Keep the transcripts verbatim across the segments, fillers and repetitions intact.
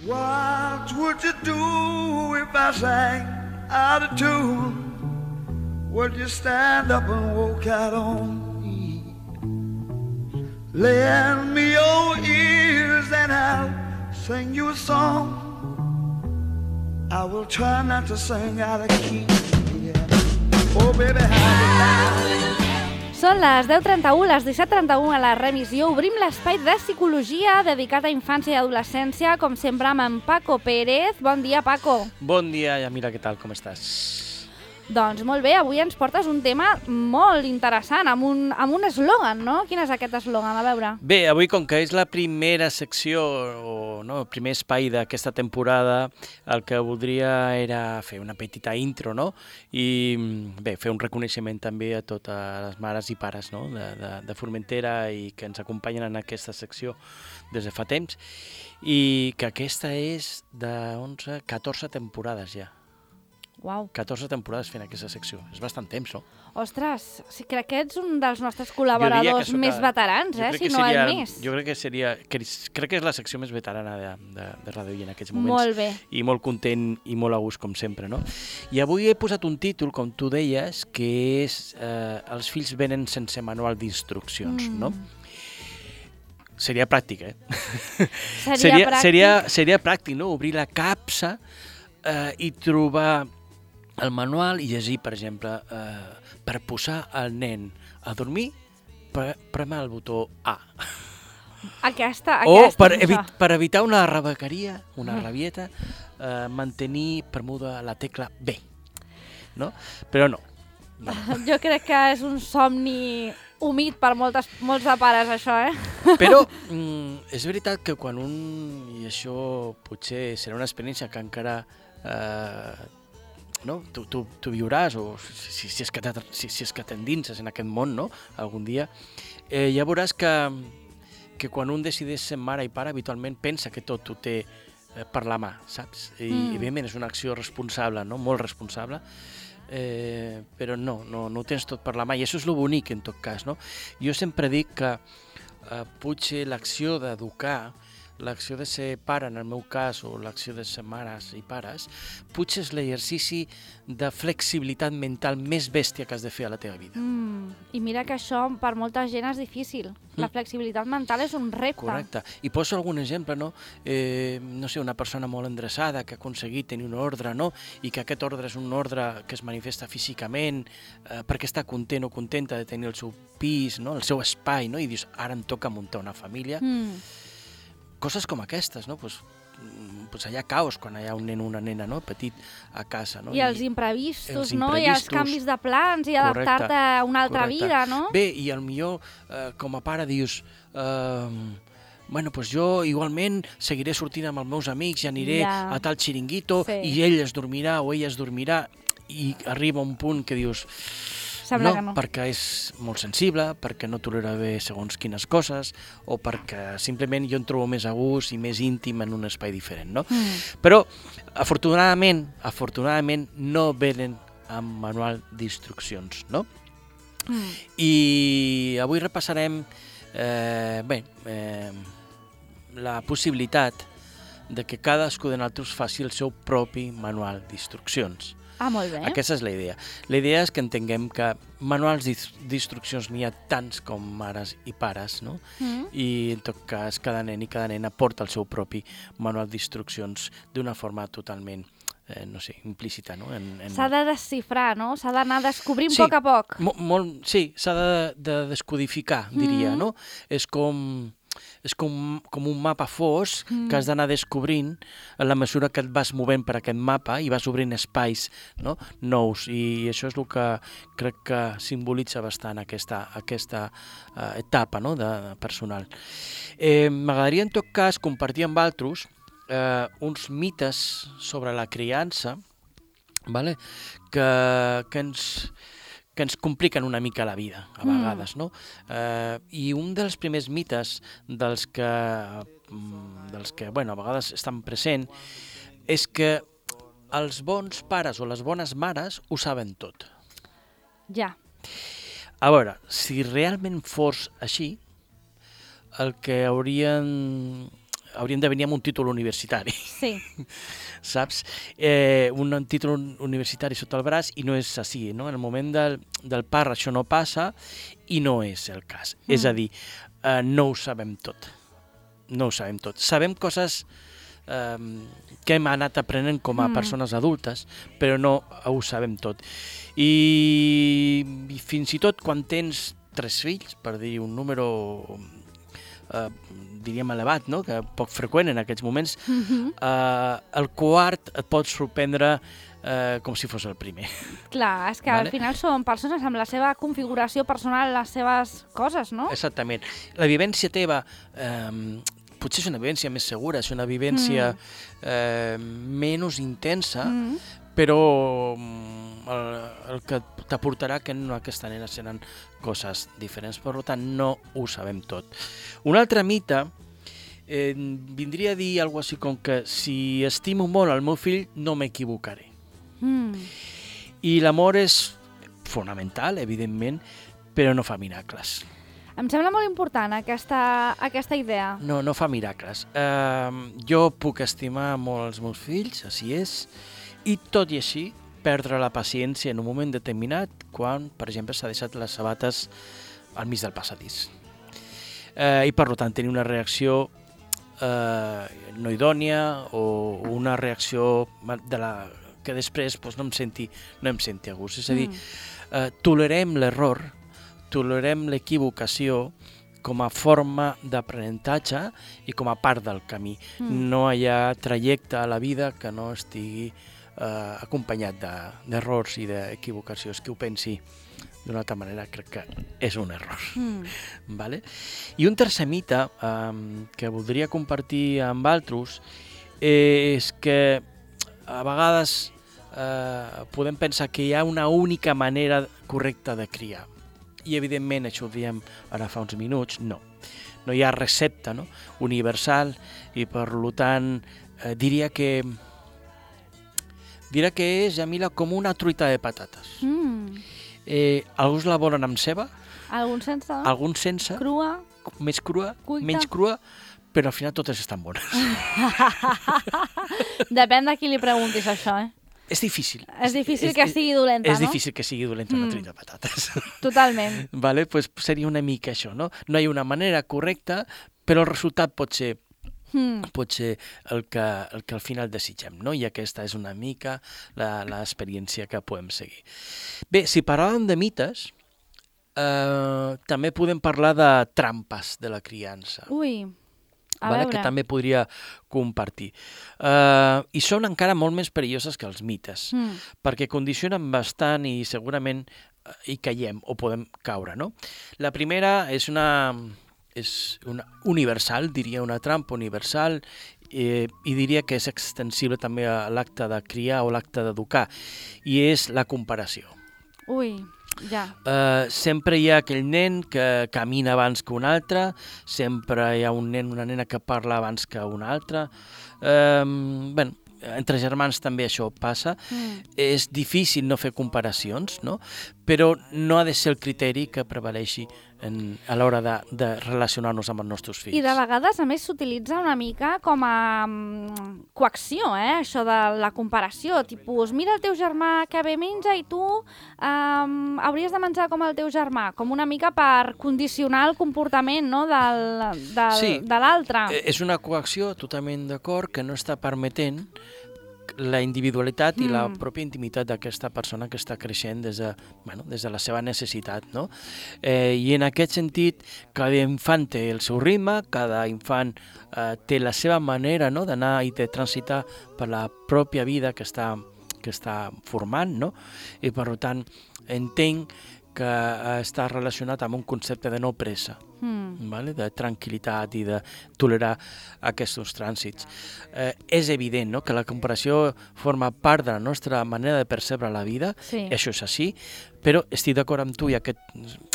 What would you do if I sang out of tune? Would you stand up and walk out on me? Lend me your ears and I'll sing you a song. I will try not to sing out of key. Yeah. Oh baby, how Són les deu trenta-u, les disset trenta-u a la remissió. Obrim l'espai de psicologia dedicat a infància i adolescència, com sempre amb en Paco Pérez. Bon dia, Paco. Bon dia, Yamira, què tal, com estàs? Doncs molt bé, avui ens portes un tema molt interessant, amb un, amb un eslògan, no? Quin és aquest eslògan? A veure. Bé, avui, com que és la primera secció, o no, el primer espai d'aquesta temporada, el que voldria era fer una petita intro, no? I bé, fer un reconeixement també a totes les mares i pares, no? de, de, de Formentera i que ens acompanyen en aquesta secció des de fa temps, i que aquesta és de onze, catorze temporades ja. Uau. catorze temporades fent aquesta secció. És bastant temps, no? Ostres, sí, crec que ets un dels nostres col·laboradors més veterans, eh? Si no seria, el més. Jo crec que seria... Que, crec que és la secció més veterana de, de, de Ràdio I en aquests moments. Molt bé. I molt content i molt a gust, com sempre, no? I avui he posat un títol, com tu deies, que és eh, Els fills venen sense manual d'instruccions, mm. no? Seria pràctic, eh? Seria, seria pràctic. Seria, seria pràctic, no? Obrir la capsa eh, i trobar el manual i llegir, per exemple, eh, per posar el nen a dormir, pre prema el botó A. Aquesta, o aquesta. per, evi per evitar una rebequeria, una rabieta, eh, mantenir premuda la tecla B. No? Però no. no. Jo crec que és un somni humit per moltes, molts de pares, això, eh? Però mm, és veritat que quan un, i això potser serà una experiència que encara eh, no? tu, tu, tu viuràs, o si, si és que si, si és que t'endinses en aquest món, no? Algun dia, eh, ja veuràs que, que quan un decideix ser mare i pare, habitualment pensa que tot ho té eh, per la mà, saps? I, mm. i evidentment és una acció responsable, no? Molt responsable, eh, però no, no, no ho tens tot per la mà, i això és lo bonic, en tot cas, no? Jo sempre dic que eh, potser l'acció d'educar, l'acció de ser pare, en el meu cas, o l'acció de ser mares i pares, potser és l'exercici de flexibilitat mental més bèstia que has de fer a la teva vida. Mm, I mira que això per molta gent és difícil. La flexibilitat mental és un repte. Correcte. I poso algun exemple, no? Eh, no sé, una persona molt endreçada que ha aconseguit tenir un ordre, no? I que aquest ordre és un ordre que es manifesta físicament, eh, perquè està content o contenta de tenir el seu pis, no? El seu espai, no? I dius, ara em toca muntar una família. Mm. Coses com aquestes, no? Pues, pues hi ha caos quan hi ha un nen o una nena, no? Petit a casa, no? I els imprevistos, els no? I els canvis de plans i adaptar-te a una altra correcte. vida, no? Bé, i al millor eh, com a pare dius eh, bueno, pues jo igualment seguiré sortint amb els meus amics i aniré ja. a tal xiringuito sí. i ell es dormirà o ella es dormirà, i arriba un punt que dius Sembla no, que no, perquè és molt sensible, perquè no tolera bé segons quines coses, o perquè simplement jo em trobo més a gust i més íntim en un espai diferent, no? Mm. Però, afortunadament, afortunadament no venen amb manual d'instruccions, no? Mm. I avui repassarem eh, bé, eh, la possibilitat de que cadascú de nosaltres faci el seu propi manual d'instruccions. Ah, molt bé. Aquesta és la idea. La idea és que entenguem que manuals d'instruccions n'hi ha tants com mares i pares, no? Mm. I en tot cas cada nen i cada nena porta el seu propi manual d'instruccions d'una forma totalment, eh, no sé, implícita, no? En, en... S'ha de desxifrar, no? S'ha d'anar descobrint sí, a poc a poc. Mo molt, sí, s'ha de, de descodificar, diria, mm. no? És com... és com, com un mapa fosc mm. que has d'anar descobrint a la mesura que et vas movent per aquest mapa i vas obrint espais, no? nous, i això és el que crec que simbolitza bastant aquesta, aquesta uh, etapa, no? de, de personal. Eh, M'agradaria en tot cas compartir amb altres eh, uns mites sobre la criança, vale? que, que ens... que ens compliquen una mica la vida, a vegades, mm. no? Eh, I un dels primers mites dels que, dels que bueno, a vegades estan present és que els bons pares o les bones mares ho saben tot. Ja. A veure, si realment fos així, el que haurien hauríem de venir amb un títol universitari. Sí. Saps? Eh, un títol universitari sota el braç i no és així, no? En el moment del, del part això no passa i no és el cas. Mm. És a dir, eh, no ho sabem tot. No ho sabem tot. Sabem coses eh, que hem anat aprenent com a mm. persones adultes, però no ho sabem tot. I, i fins i tot quan tens tres fills, per dir un número eh, diríem elevat, no? Que poc freqüent en aquests moments, mm-hmm. eh, el quart et pot sorprendre eh, com si fos el primer. Clar, és que vale? Al final són persones amb la seva configuració personal, les seves coses, no? Exactament. La vivència teva eh, potser és una vivència més segura, és una vivència mm. eh, menys intensa, mm. però el, el que t'aportarà que en aquesta nena seran coses diferents. Per tant, no ho sabem tot. Un altre mite eh, vindria a dir alguna cosa així com que si estimo molt el meu fill, no m'equivocaré. Mm. I l'amor és fonamental, evidentment, però no fa miracles. Em sembla molt important aquesta, aquesta idea. No, no fa miracles. Uh, jo puc estimar molt els meus fills, així és, i tot i així perdre la paciència en un moment determinat quan, per exemple, s'ha deixat les sabates al mig del passadís. Uh, I, per tant, tenir una reacció uh, no idònia o una reacció de la que després pues, no em senti, no em senti a gust. És a dir, uh, tolerem l'error, tolerem l'equivocació com a forma d'aprenentatge i com a part del camí. Mm. No hi ha trajecte a la vida que no estigui eh, acompanyat d'errors i d'equivocacions. Que ho pensi d'una altra manera crec que és un error. Mm. Vale? I un tercer mite eh, que voldria compartir amb altres és que a vegades eh, podem pensar que hi ha una única manera correcta de criar. I, evidentment, això ho diem ara fa uns minuts, no. No hi ha recepta, no? Universal i, per tant, eh, diria que diria que és, Jamila, com una truita de patates. Mm. Eh, alguns la volen amb ceba. Alguns sense. Alguns sense. Crua. Més crua. Cuita. Menys crua. Però al final totes estan bones. Depèn de qui li preguntis això, eh? És difícil. És difícil és, que sigui dolenta, és no? És difícil que sigui dolenta una mm. truita de patates. Totalment. Vale? Pues seria una mica això, no? No hi ha una manera correcta, però el resultat pot ser, mm. pot ser el, que, el que al final desitgem, no? I aquesta és una mica l'experiència que podem seguir. Bé, si parlàvem de mites, eh, també podem parlar de trampes de la criança. Ui... Vale, que també podria compartir. Uh, I són encara molt més perilloses que els mites, mm. perquè condicionen bastant i segurament uh, hi caiem o podem caure, no? La primera és una, és una universal, diria una trampa universal, eh, i diria que és extensible també a l'acte de criar o l'acte d'educar, i és la comparació. Ui... Ja. Uh, sempre hi ha aquell nen que camina abans que un altre, sempre hi ha un nen, una nena que parla abans que un altre. Uh, bueno, entre germans també això passa. Mm. És difícil no fer comparacions, no? Però no ha de ser el criteri que prevaleixi en, a l'hora de, de relacionar-nos amb els nostres fills. I de vegades, a més, s'utilitza una mica com a um, coacció, eh? Això de la comparació. Tipus, mira el teu germà que bé menja i tu um, hauries de menjar com el teu germà. Com una mica per condicionar el comportament, no? del, del, sí, de l'altre. És una coacció totalment d'acord que no està permetent la individualitat i mm. la pròpia intimitat d'aquesta persona que està creixent des de, bueno, des de la seva necessitat, no? Eh, I en aquest sentit, cada infant té el seu ritme, cada infant eh, té la seva manera, no?, d'anar i de transitar per la pròpia vida que està, que està formant, no? I per tant, entenc que està relacionat amb un concepte de no pressa, mm. vale? De tranquil·litat i de tolerar aquests trànsits. Eh, és evident, no?, que la comparació forma part de la nostra manera de percebre la vida, sí. Això és així, però estic d'acord amb tu i aquest,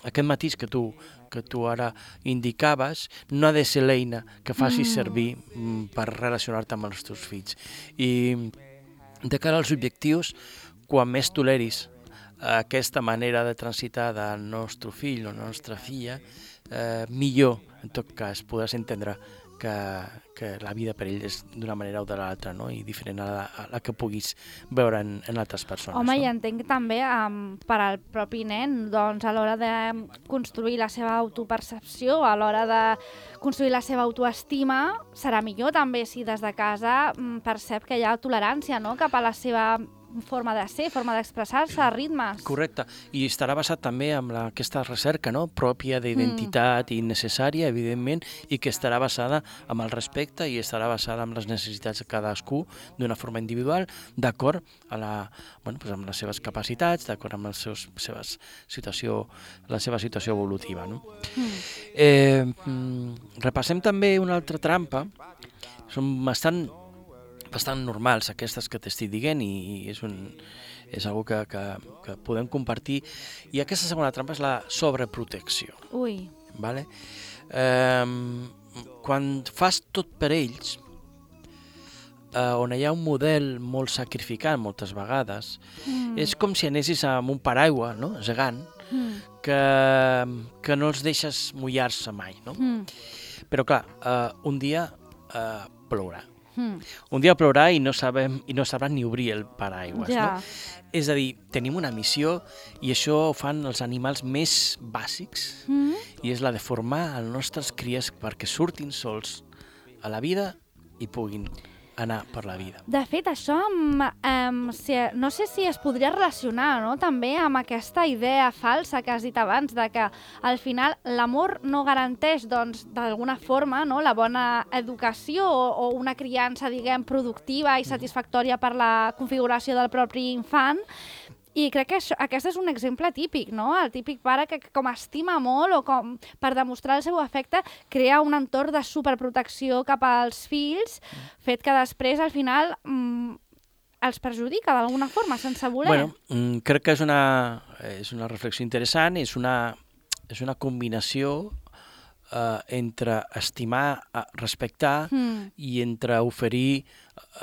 aquest matís que tu, que tu ara indicaves no ha de ser l'eina que facis mm. servir mm, per relacionar-te amb els teus fills. I de cara als objectius, quan més toleris aquesta manera de transitar del nostre fill o la nostra filla, eh, millor, en tot cas, podràs entendre que, que la vida per ell és d'una manera o de l'altra, no? I diferent a la, a la que puguis veure en, en altres persones. Home, no? i entenc també um, per al propi nen, doncs a l'hora de construir la seva autopercepció, a l'hora de construir la seva autoestima, serà millor també si des de casa um, percep que hi ha tolerància, no?, cap a la seva forma de ser, forma d'expressar-se, ritmes. Correcte, i estarà basat també en la, aquesta recerca, no?, pròpia d'identitat mm. i necessària, evidentment, i que estarà basada en el respecte i estarà basada en les necessitats de cadascú d'una forma individual, d'acord a la, bueno, pues amb les seves capacitats, d'acord amb les seus, seves situació, la seva situació evolutiva. No? Mm. Eh, repassem també una altra trampa, són bastant bastant normals aquestes que t'estic dient i és, un, és una que, que, que podem compartir. I aquesta segona trampa és la sobreprotecció. Ui. Vale? Eh, quan fas tot per ells, eh, on hi ha un model molt sacrificat moltes vegades, mm. és com si anessis amb un paraigua, no?, gegant, mm. que, que no els deixes mullar-se mai. No? Mm. Però clar, eh, un dia eh, plourà. Mm. Un dia plourà i no sabem i no sabrà ni obrir el paraigües. Ja. No? És a dir, tenim una missió i això ho fan els animals més bàsics mm. i és la de formar els nostres cries perquè surtin sols a la vida i puguin anar per la vida. De fet, això amb, amb, si, no sé si es podria relacionar, no?, també amb aquesta idea falsa que has dit abans, de que al final l'amor no garanteix, doncs, d'alguna forma, no?, la bona educació o, o una criança, diguem, productiva i satisfactòria per la configuració del propi infant. I crec que això, aquest és un exemple típic, no? El típic pare que com estima molt o com per demostrar el seu afecte crea un entorn de superprotecció cap als fills, fet que després al final mmm, els perjudica d'alguna forma, sense voler. Bueno, mm, crec que és una, és una reflexió interessant, és una, és una combinació eh, entre estimar, respectar mm. i entre oferir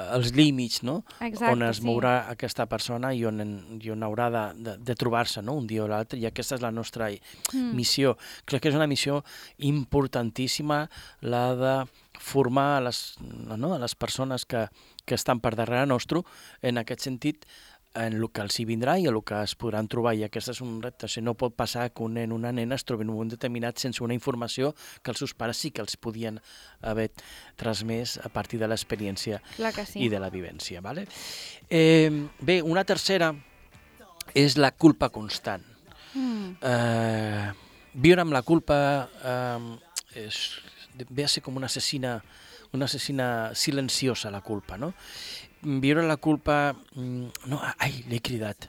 els límits, no? Exacte, on es sí. mourà aquesta persona i on, i on haurà de, de, de trobar-se, no?, un dia o l'altre, i aquesta és la nostra mm. missió. Crec que és una missió importantíssima, la de formar a les, no?, a les persones que, que estan per darrere nostre, en aquest sentit, en el que els hi vindrà i en el que es podran trobar, i aquest és un repte. Si no pot passar que un nen o una nena es trobi en un moment determinat sense una informació que els seus pares sí que els podien haver transmès a partir de l'experiència sí. i de la vivència. Vale? Eh, bé, una tercera és la culpa constant. Mm. Eh, viure amb la culpa eh, és, ve a ser com una assassina, una assassina silenciosa, la culpa, no? Viure la culpa, no, ai, l'he cridat,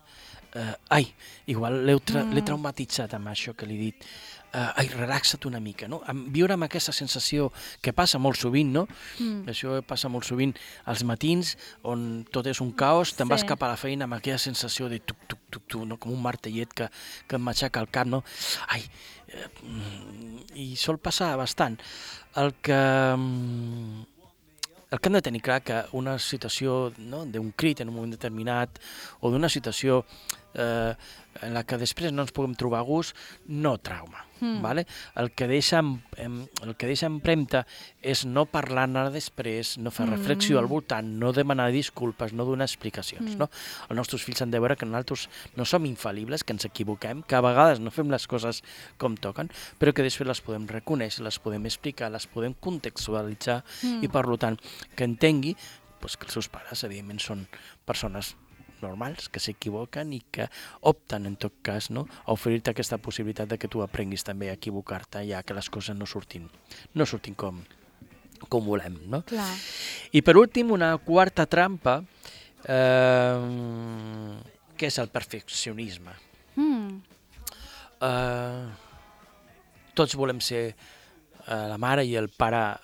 uh, ai, igual l'he tra mm. traumatitzat amb això que l'he dit, uh, ai, relaxa't una mica, no? Viure amb aquesta sensació que passa molt sovint, no? Mm. Això passa molt sovint als matins, on tot és un caos, te'n sí. vas cap a la feina amb aquella sensació de tuc, tuc, tuc, tuc, no? Com un martellet que, que em matxaca el cap, no? Ai, eh, i sol passar bastant. El que... El que hem de tenir clar que una situació, no?, d'un crit en un moment determinat o d'una situació eh, en la que després no ens puguem trobar a gust, no trauma. Mm. Vale? El que deixa, el que deixa empremta és no parlar-ne després, no fer reflexió al voltant, no demanar disculpes, no donar explicacions. Mm. No? Els nostres fills han de veure que nosaltres no som infal·libles, que ens equivoquem, que a vegades no fem les coses com toquen, però que després les podem reconèixer, les podem explicar, les podem contextualitzar mm. i, per tant, que entengui pues, que els seus pares, evidentment, són persones normals, que s'equivoquen i que opten, en tot cas, no?, a oferir-te aquesta possibilitat de que tu aprenguis també a equivocar-te, ja que les coses no surtin, no surtin com, com volem, no? Clar. I per últim, una quarta trampa, eh, que és el perfeccionisme. Mm. Eh, tots volem ser eh, la mare i el pare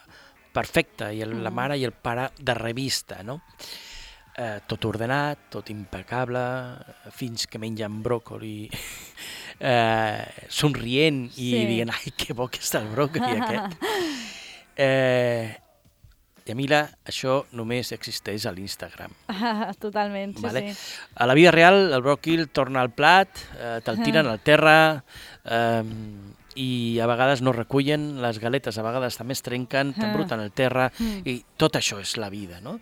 perfecte, i el, mm. la mare i el pare de revista, no? Eh, tot ordenat, tot impecable, fins que mengen bròcoli, eh, somrient i sí. dient, ai, que bo que està el bròcoli aquest. Eh, Yamila, això només existeix a l'Instagram. Totalment, sí, vale? sí. A la vida real, el bròquil torna al plat, eh, te'l tiren al terra, eh, i a vegades no recullen, les galetes a vegades també es trenquen, t'embruten el terra, Mm. i tot això és la vida, no?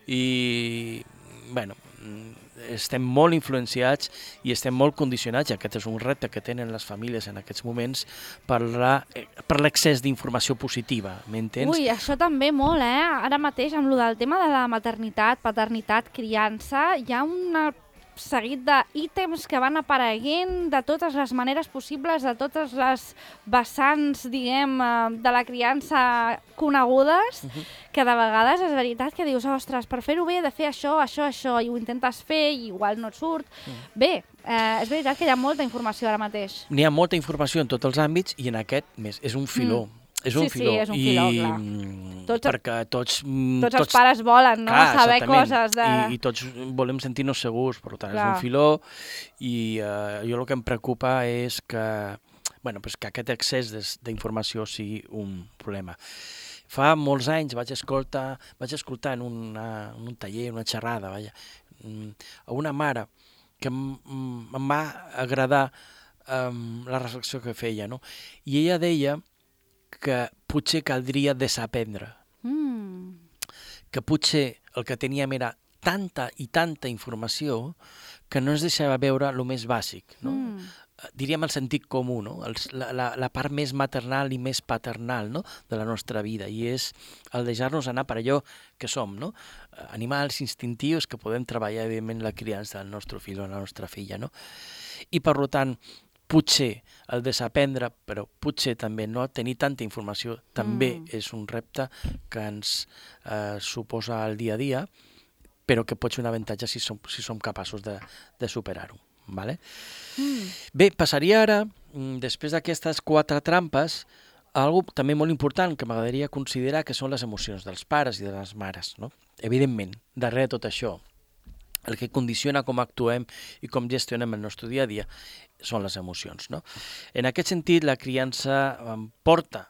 I, bueno, estem molt influenciats i estem molt condicionats, i aquest és un repte que tenen les famílies en aquests moments, per la, per l'excés d'informació positiva, m'entens? Ui, això també molt, eh? Ara mateix, amb lo del tema de la maternitat, paternitat, criança, hi ha un seguit d'ítems que van apareguent de totes les maneres possibles, de totes les vessants, diguem, de la criança conegudes, uh-huh. que de vegades és veritat que dius, ostres, per fer-ho bé he de fer això, això, això, i ho intentes fer i igual no et surt. Uh-huh. Bé, eh, és veritat que hi ha molta informació ara mateix. N'hi ha molta informació en tots els àmbits i en aquest més, és un filó. Mm. És un sí, filó. Sí, és un filó, I, clar. Tots, perquè tots... Tots, tots els pares volen, no? Clar, saber coses de... I, I tots volem sentir-nos segurs, per tant, clar. És un filó, i uh, jo el que em preocupa és que, bueno, pues que aquest excés d'informació sigui un problema. Fa molts anys vaig escoltar, vaig escoltar en, una, en un taller, una xerrada, vaja, a una mare que em, em va agradar um, la reflexió que feia, no? I ella deia que potser caldria desaprendre. Mm. Que potser el que teníem era tanta i tanta informació que no ens deixava veure el més bàsic, no? Mm. Diríem el sentit comú, no? El, la, la, la part més maternal i més paternal, no? De la nostra vida, i és el deixar-nos anar per allò que som, no? Animals instintius que podem treballar, evidentment, la criança del nostre fill o la nostra filla, no? I, per tant, potser el desaprendre, però potser també no tenir tanta informació, també mm. és un repte que ens eh, suposa el dia a dia, però que pot ser un avantatge si som, si som capaços de, de superar-ho. Vale? Mm. Bé, passaria ara, després d'aquestes quatre trampes, a algo també molt important que m'agradaria considerar, que són les emocions dels pares i de les mares, no? Evidentment, darrere de tot això, el que condiciona com actuem i com gestionem el nostre dia a dia són les emocions, no? En aquest sentit, la criança porta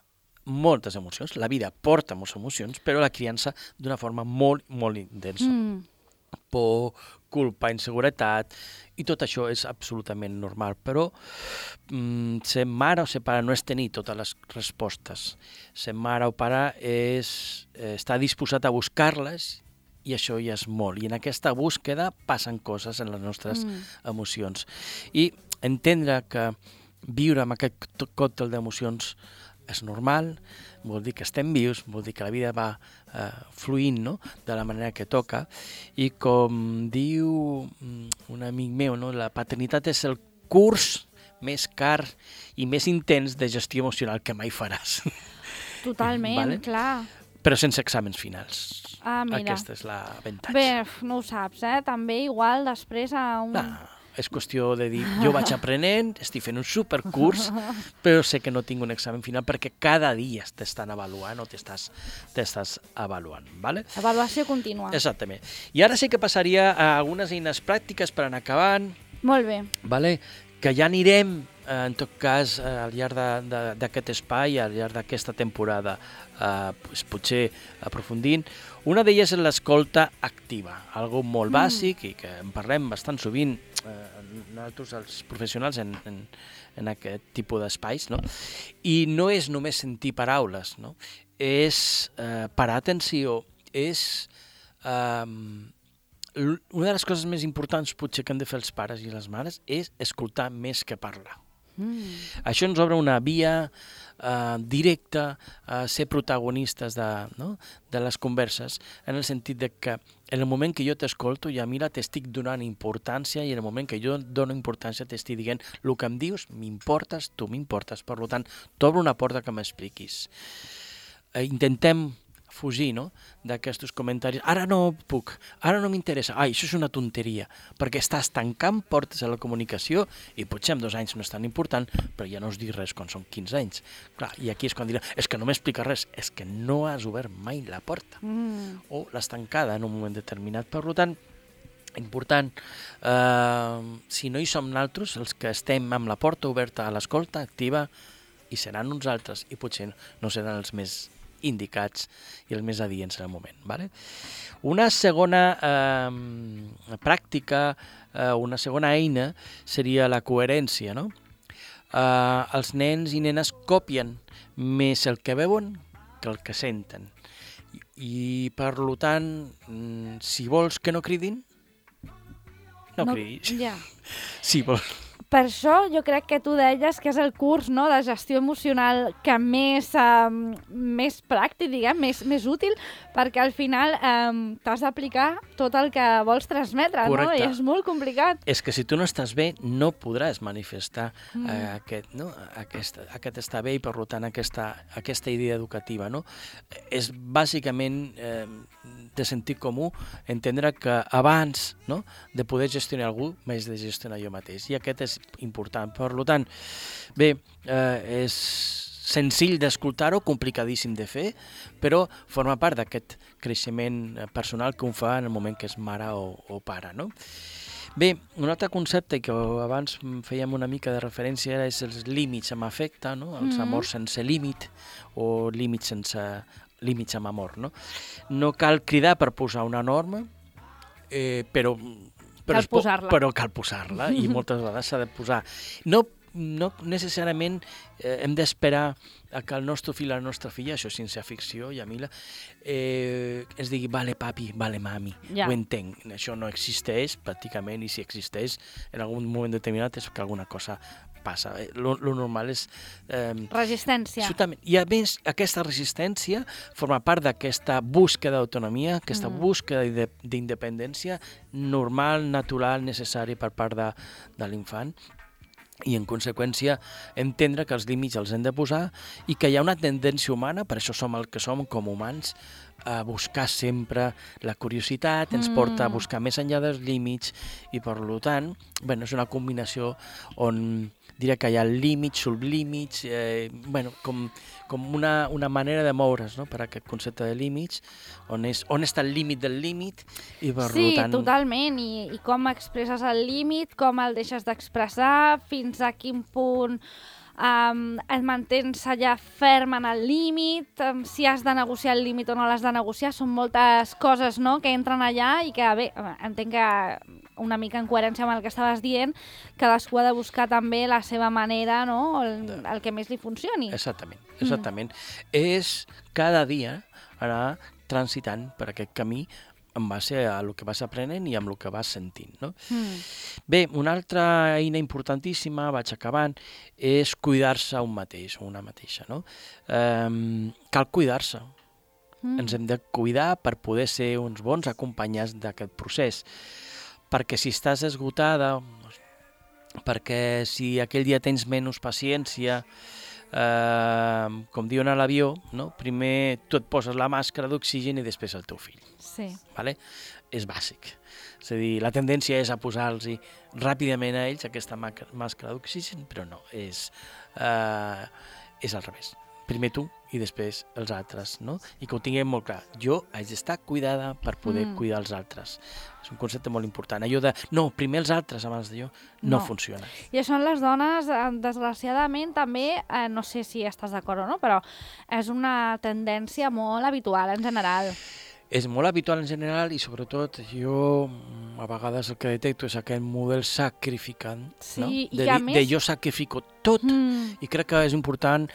moltes emocions, la vida porta moltes emocions, però la criança d'una forma molt, molt intensa. Mm. Por, culpa, inseguretat, i tot això és absolutament normal, però mm, ser mare o ser pare no és tenir totes les respostes. Ser mare o pare és eh, estar disposat a buscar-les, i això ja és molt. I en aquesta búsqueda passen coses en les nostres mm. emocions. I entendre que viure amb aquest còctel d'emocions és normal, vol dir que estem vius, vol dir que la vida va eh, fluint, no? De la manera que toca, i com diu un amic meu, no? La paternitat és el curs més car i més intens de gestió emocional que mai faràs. Totalment, vale? Clar. Però sense exàmens finals. Ah, mira. Aquesta és l'avantatge. Bé, no ho saps, eh? També igual després a un... No, és qüestió de dir, jo vaig aprenent, estic fent un supercurs, però sé que no tinc un examen final perquè cada dia t'estan avaluant o t'estàs t'estàs avaluant, ¿vale? Avaluació contínua. Exactament. I ara sí que passaria a algunes eines pràctiques per anar acabant. Molt bé. ¿Vale? Que ja anirem, eh, en tot cas, eh, al llarg d'aquest espai, al llarg d'aquesta temporada, eh, pues, potser aprofundint. Una d'elles és l'escolta activa, algo molt mm. bàsic i que en parlem bastant sovint eh, nosaltres, els professionals, en, en, en aquest tipus d'espais, no? I no és només sentir paraules, no? És eh, parar atenció, és... Eh, una de les coses més importants potser que han de fer els pares i les mares és escoltar més que parlar. Mm. Això ens obre una via uh, directa a ser protagonistes de, no? de les converses, en el sentit de que en el moment que jo t'escolto, ja mira, t'estic donant importància, i en el moment que jo dono importància t'estic dient el que em dius, m'importes, tu m'importes, per tant, t'obro una porta que m'expliquis. Uh, intentem fugir, no?, d'aquests comentaris. Ara no puc, ara no m'interessa. Ai, això és una tonteria, perquè estàs tancant portes a la comunicació i potser en dos anys no és tan important, però ja no us dic res quan són quinze anys. Clar, i aquí és quan dirà, és que no m'explica res, és que no has obert mai la porta. Mm. O l'has tancada en un moment determinat. Per tant, important, eh, si no hi som nosaltres, els que estem amb la porta oberta a l'escolta activa, i seran uns altres, i potser no seran els més indicats i els més adients en el moment. Vale? Una segona eh, pràctica, eh, una segona eina seria la coherència, no? Uh, els nens i nenes copien més el que veuen que el que senten. I, i per tant, si vols que no cridin, no, no cridis. Ja. Si vols... Per això jo crec que tu deies que és el curs, no, de gestió emocional que més, um, més pràctic, diguem, més, més útil, perquè al final um, t'has d'aplicar tot el que vols transmetre, Correcte. No? I és molt complicat. És que si tu no estàs bé, no podràs manifestar Mm. eh, aquest, no? aquest, aquest estar bé i, per tant, aquesta, aquesta idea educativa. No? És bàsicament eh, de sentit comú entendre que abans, no, de poder gestionar algú, m'haig de gestionar jo mateix. I aquest és important. Per tant, bé, eh, és senzill d'escoltar-ho, complicadíssim de fer, però forma part d'aquest creixement personal que un fa en el moment que és mare o, o pare, no? Bé, un altre concepte que abans fèiem una mica de referència és els límits amb afecte, no? Els Mm. amors sense límit o límits sense límits amb amor, no? No cal cridar per posar una norma, eh, però, però, Cal es po- posar-la. però cal posar-la i moltes vegades s'ha de posar. No, no necessàriament eh, hem d'esperar a que el nostre fill o la nostra filla, això és ciència-ficció, Yamila, eh, ens digui, vale papi, vale mami, Ja. ho entenc. Això no existeix pràcticament, i si existeix en algun moment determinat és que alguna cosa passa. Lo, lo normal és... Eh, Resistència. Absolutament. I a més, aquesta resistència forma part d'aquesta búsqueda d'autonomia, aquesta Mm. búsqueda d'inde- d'independència normal, natural, necessària per part de, de l'infant, i en conseqüència entendre que els límits els hem de posar i que hi ha una tendència humana, per això som el que som com humans, a buscar sempre la curiositat, ens Mm. porta a buscar més enllà dels límits i per tant, bueno, és una combinació on diria que hi ha límits, sublímits, eh, bueno, com, com una, una manera de moure's, no?, per aquest concepte de límits, on, és, on està el límit del límit i per Sí, tant... totalment, I, i com expresses el límit, com el deixes d'expressar, fins a quin punt um, et mantens allà ferm en el límit, um, si has de negociar el límit o no l'has de negociar, són moltes coses, no?, que entren allà i que, bé, entenc que una mica en coherència amb el que estaves dient, cadascú ha de buscar també la seva manera, no?, el, el que més li funcioni. Exactament, exactament. Mm. És cada dia anar transitant per aquest camí en base a el que vas aprenent i amb el que vas sentint, no? Mm. Bé, una altra eina importantíssima, vaig acabant, és cuidar-se un mateix o una mateixa, no? Um, cal cuidar-se. Mm. Ens hem de cuidar per poder ser uns bons acompanyats d'aquest procés. Perquè si estàs esgotada, perquè si aquell dia tens menys paciència, eh, com diuen a l'avió, no? Primer tu et poses la màscara d'oxigen i després el teu fill. Sí. Vale? És bàsic. És a dir, la tendència és a posar-los ràpidament a ells aquesta màscara d'oxigen, però no, és, eh, és al revés. Primer tu i després els altres, no? I que ho tinguem molt clar. Jo haig d'estar cuidada per poder Mm. cuidar els altres. És un concepte molt important. Allò de, no, primer els altres abans de jo, no, No. funciona. I això en les dones, eh, desgraciadament, també, eh, no sé si estàs d'acord o no, però és una tendència molt habitual en general. És molt habitual en general i sobretot jo mm, a vegades el que detecto és aquest model sacrificant, Sí, no? i de, a dir- més- de jo sacrifico tot. Mm. I crec que és important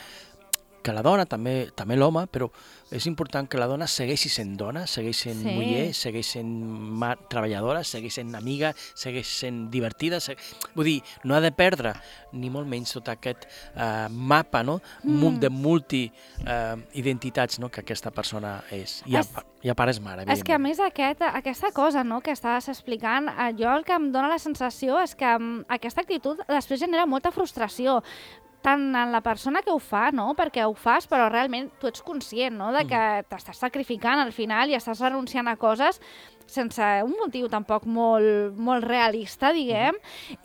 que la dona, també també l'home, però és important que la dona segueixi sent dona, segueix sent Sí. muller, segueix sent ma- treballadora, segueix sent amiga, segueix sent divertida. Seg... Vull dir, no ha de perdre ni molt menys tot aquest uh, mapa, no? Mm. de multi-identitats uh, no? que aquesta persona és. I a, És- i a part és mare, És que, a evidentment. més, aquest, aquesta cosa, no?, que estaves explicant, eh, jo el que em dóna la sensació és que mm, aquesta actitud després genera molta frustració, tant en la persona que ho fa, no?, perquè ho fas, però realment tu ets conscient, no?, de que t'estàs sacrificant al final i estàs renunciant a coses sense un motiu tampoc molt, molt realista, diguem,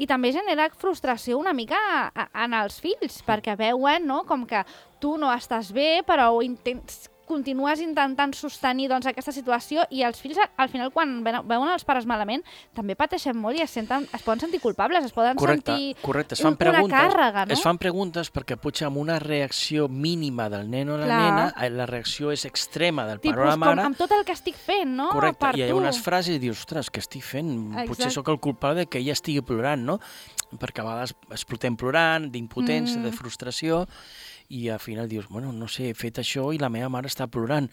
i també genera frustració una mica a- en els fills, perquè veuen, no?, com que tu no estàs bé, però ho intents continues intentant sostenir doncs, aquesta situació i els fills, al final, quan veuen els pares malament, també pateixen molt i es, senten, es poden sentir culpables, es poden correcte, sentir correcte. Es fan una preguntes, càrrega, no? Es fan preguntes perquè potser amb una reacció mínima del nen o la Clar. nena, la reacció és extrema del pare Tipus, o la mare. com amb tot el que estic fent, no? Correcte, Per i hi ha tu. unes frases i dius, ostres, què estic fent? Exacte. Potser sóc el culpable que ella estigui plorant, no? Perquè a vegades explotem plorant, d'impotència, Mm. de frustració, i al final dius, bueno, no sé, he fet això i la meva mare està plorant.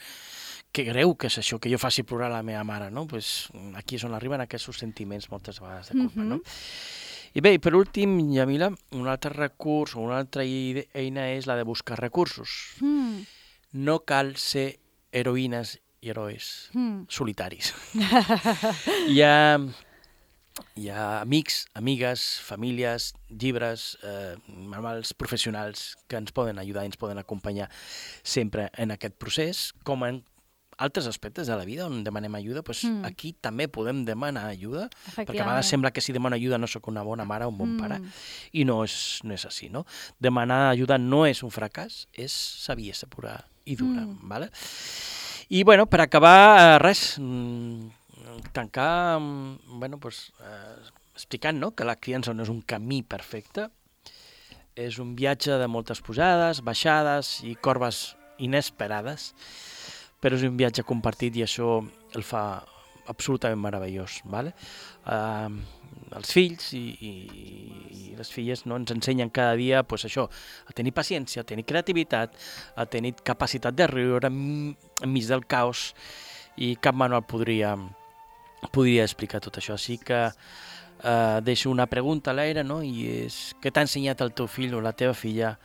Que greu que és això, que jo faci plorar la meva mare, no? Pues aquí és on arriben aquests sentiments moltes vegades de culpa, Mhm. no? I bé, i per últim, Yamila, un altre recurs o una altra ide- eina és la de buscar recursos. Mm. No cal ser heroïnes i herois Mm. solitaris. Hi ha, hi ha amics, amigues, famílies, llibres, eh, manuals professionals que ens poden ajudar i ens poden acompanyar sempre en aquest procés, com en altres aspectes de la vida on demanem ajuda, doncs Mm. aquí també podem demanar ajuda, perquè a Efectivament. vegades sembla que si demano ajuda no sóc una bona mare o un bon Mm. pare, i no és, no és així, no? Demanar ajuda no és un fracàs, és saviesa pura i dura, Mm. ¿vale? I, bueno, per acabar, eh, res, mm, tancar, mm, bueno, pues, eh, explicant, no?, que la criança no és un camí perfecte, és un viatge de moltes pujades, baixades i corbes inesperades, però és un viatge compartit i això el fa absolutament meravellós, ¿vale? Uh, els fills i, i, i les filles, no, ens ensenyen cada dia pues, això, a tenir paciència, a tenir creativitat, a tenir capacitat de riure enmig del caos, i cap manual podria, podria explicar tot això. Així que uh, deixo una pregunta a l'aire, no? I és, què t'ha ensenyat el teu fill o la teva filla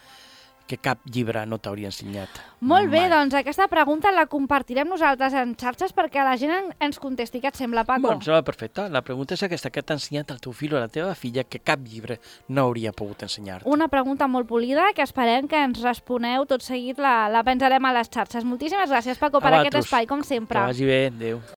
que cap llibre no t'hauria ensenyat? Molt bé, mai? doncs aquesta pregunta la compartirem nosaltres en xarxes perquè la gent en- ens contesti. Què et sembla, Paco? Bueno, em sembla perfecte. La pregunta és aquesta, què t'ha ensenyat el teu fill o la teva filla que cap llibre no hauria pogut ensenyar-te? Una pregunta molt polida que esperem que ens responeu tot seguit, la, la pensarem a les xarxes. Moltíssimes gràcies, Paco, per A aquest vosaltres. espai, com Que sempre. vagi bé, adéu.